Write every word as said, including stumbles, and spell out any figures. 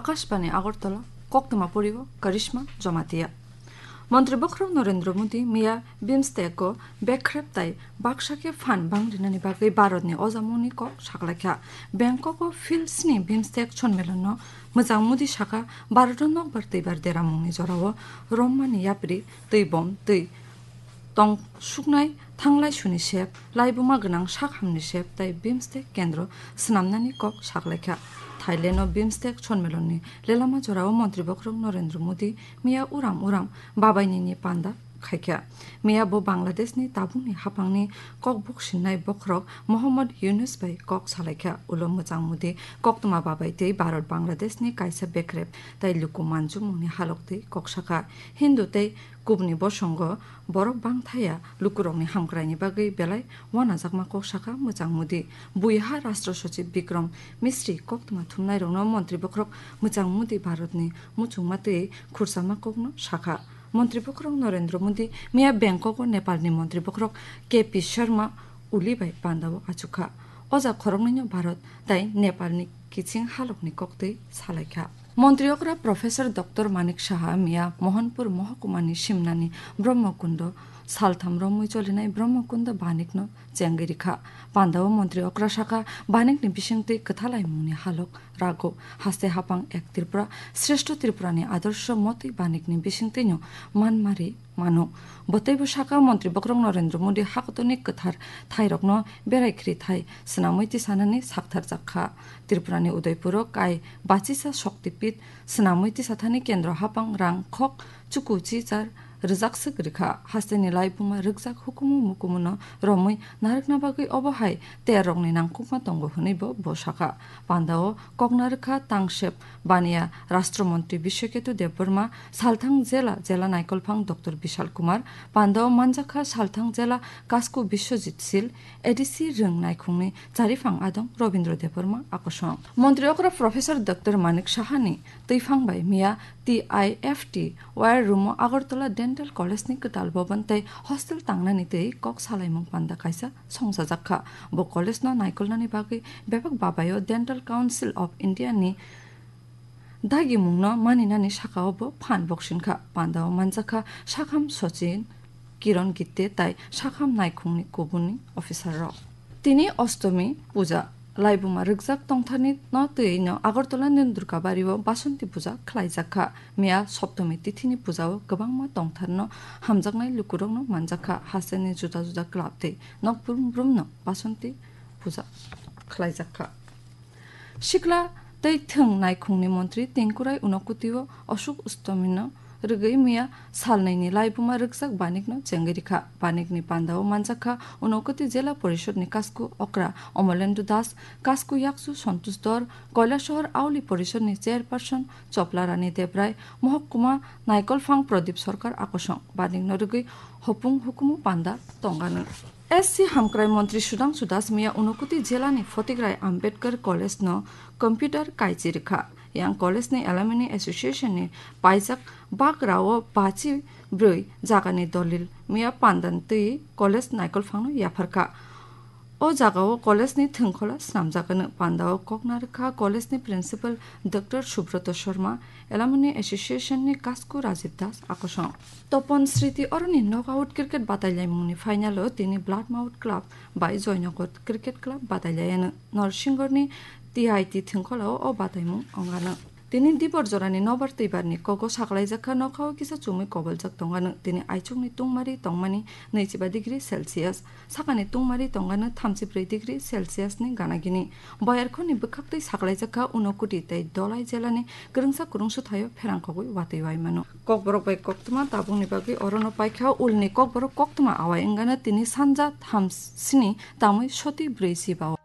Akashbani Agartala, koktwma poribo Karishma Jamatia. Montri bokhorok Narendra Modi miya BIMSTEC-o bekrep tai baksa khe phan bang rinani bagwi Bharatni ojamungni kok saklaikha. Bangkok-o Phil sni BIMSTEC sonmelonno mwchang Modi sakha, Bharat-o nokbar twibar deramungni jorao rommani yapri twi bom twi tong suknai thanglai suni sep, laibuma gwnang sak hamni sep tai BIMSTEC kendro swnamnani kok saklaikha. Thailand-o BIMSTEC sonmelonni lelama jorao montri bokhorok Narendra Modi miya uram uram babainini panda khaikha. Miya bo Bangladeshni tabukni haphangni kok buksinnai bokhorok Mohammad Yunus bai kok salaikha. Ulo mwchang Modi koktwma babai tei Bharat Bangladeshni kaisa bekrep tai luku manjumungni halok twi kok sakha. Hindu tei kubni bosongo borok bangthaya lukurokni hamkraini bagwi belai wanajakma kok sakha mwchang Modi. Buiha Rashtra Sochib Bikram Misri koktwma thumnairokno montri bokhorok mwchang Modi Bharatni muchungma twi khursama kokno sakha. Montri bokhorok Narendra Modi miya Bangkok-o Nepalni montri bokhorok K P Sharma Oli bai pandao achukha. O ja khoroknwino Bharat tai Nepalni kiching halokni koktwi salaikha. Montri okra Professor Doctor Manik Saha miya Mohanpur Mohokumani simnani Brahmakundo saltham romwi cholinai Brahmakundo banikno chengwi rikha. Pandao montri okra sakha, banikni bisingtwi kwthalaimungni halok rago, haste hapang ek Tripura, Shrestho Tripurani adorsho motwi banikni bisingtwino manmari mano. Boteibo sakha, montri bokhorok Narendra Modi hakotorni kwthar thairokno berai khri thai swnamwi tisanani saktharjak kha. Tripurani Udaipuro kai bachisa Shakti Pit swnamwi tisathani kendro hapang rang khok chuku chichar rwjak swk rikha. Hasteni laibuma rwkjak hukumu mukumuno romwi narwkna bagwi obo hai terrorni nangkukma tongo hwnwibo bo sakha. Pandao kok narwkha Tangsep Baniya Rashtra Montri Biswaketu Debbarma, Salthang Jela, Jela Naikolphang Doctor Bishal Kumar, pandao manjakha Salthang Jela Kasku Biswajit Sil, A D C Rwng Naikhungni Chariphang Adong Robindra Debbarma akosong. Montri okra Professor Doctor Manik Sahani twiphang bai miya T I F T wire room-o Agartala Dental College-ni kwtal bhaban tei hostel tangnani twi kok salaimung panda kaisa songchajak kha. Bo college-no naikolnani bagwi bebak babaio Dental Council of India-ni dagimungno maninani sakao bo phan boksing kha. Pandao manjakha Sakham Sachin, Kiron Gitte tai Sakham Naikhungni kubuni officer rok. Tini Ostomi puja laibuma rwkjak tongtharni no twiwi no Agartala ni Durgabari o Basanti puja khlaijak kha. Miya Soptomi tithini puja o kwbangma tongthar no hamjaknai lukurok no manjak kha. Hasteni juda juda club tei nok brum brum no Basanti puja khlaijak kha. Sikla tei thwng naikhungni montri Tengkurai Unokoti o Ashok Ostomino rwgwi miya salnwini laibuma rwkjak banikno chengwi rikha. Banikni pandao manjakha Unokoti Jela Porishadni kasku okra Omolendu Das, kasku yakchu Santosh Dor, Kailasahar Auli Porishadni chairperson Chopla Rani Debrai, Mohokuma Naikolphang Pradip Sarkar akosong. Banikno rwgwi hopung hukumu panda tongano. S C Hamkrai Montri Sudhangshu Das miya Unokoti Jelani Photigrai Ambedkar College no computer kaichi rikha. Yang College ni Alumni Association ni paijak bagra o bachi brwi jagani dolil miya pandan twi college naikolphangno yapharkha. O jagao college ni thwngkhola snamjakgano. Pandao kok narwkha college ni principal Doctor Subroto Sharma, Alumni Association ni kasku Rajiv Das akosong. Topon Sriti oroni knockout cricket batailaimungni final o tini Bloodmouth Club bai Joynagar Cricket Club batailaiano. Norsingorni T I T thwngkholao o bataimung ongano. Tini dibor jorani nobar twibarni kogo saklaijak kha, nokhao kisa chumui koboljak tongano. Tini aichukni tungmari tongmani naichiba degree Celsius, sakani tungmari tongano thamchibrwi degree Celsius ni ganagini. Boyarkhorni bwkhaktwi saklaijak kha Unokoti tei Dholai jelani kwrwngsa kwrwngsuthaio pherangkhogwi watwi waimano. Kokborok bai koktwma tabukni bagwi orono paikha, ulni kokborok koktwma awai wngano tini sanja thamsini tamwi soti brwi siba o.